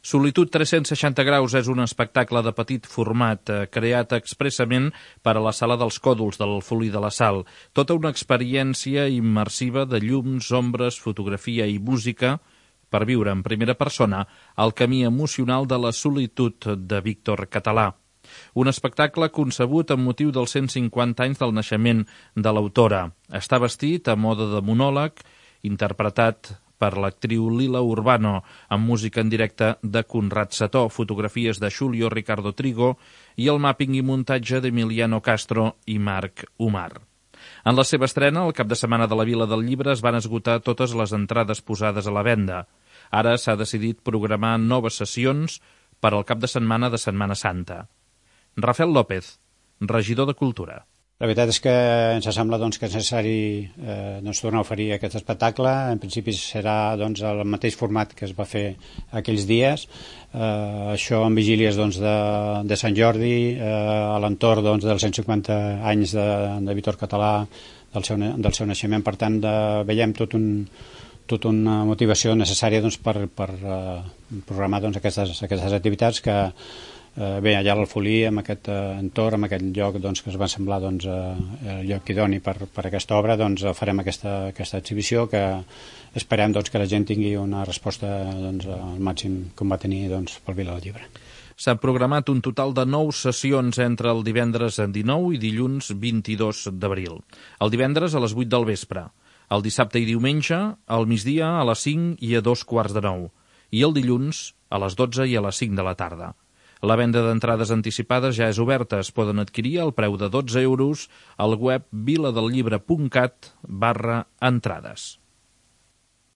Solitud 360 graus és un espectacle de petit format creat expressament per a la Sala dels Còdols del Folí de la Sal. Tota una experiència immersiva de llums, ombres, fotografia i música per viure en primera persona el camí emocional de la solitud de Víctor Català. Un espectacle concebut amb motiu dels 150 anys del naixement de l'autora. Està vestit a mode de monòleg, interpretat per l'actriu Lila Urbano, amb música en directe de Conrad Setó, fotografies de Julio Ricardo Trigo i el màpping i muntatge d'Emiliano Castro i Marc Umar. En la seva estrena, el cap de setmana de la Vila del Llibre, es van esgotar totes les entrades posades a la venda. Ara s'ha decidit programar noves sessions per al cap de setmana de Setmana Santa. Rafael López, regidor de Cultura. La veritat és que ens sembla que és necessari tornar a oferir aquest espectacle. En principi serà el mateix format que es va fer aquells dies. Això en vigílies de Sant Jordi, a l'entorn dels 150 anys de Víctor Català, del seu naixement. Per tant, veiem tota una motivació necessària per programar aquestes activitats que bé, allà al Folí, amb aquest entorn, amb aquest lloc que es va semblar el lloc idoni per aquesta obra, farem aquesta exhibició que esperem que la gent tingui una resposta al màxim com va tenir pel Vila del Llibre. S'han programat un total de 9 sessions entre el divendres 19 i dilluns 22 d'abril. El divendres a les 8 del vespre, el dissabte i diumenge al migdia a les 5 i a 2:15 i el dilluns a les 12 i a les 5 de la tarda. La venda d'entrades anticipades ja és oberta. Es poden adquirir al preu de 12 € al web viladellibre.cat/entrades.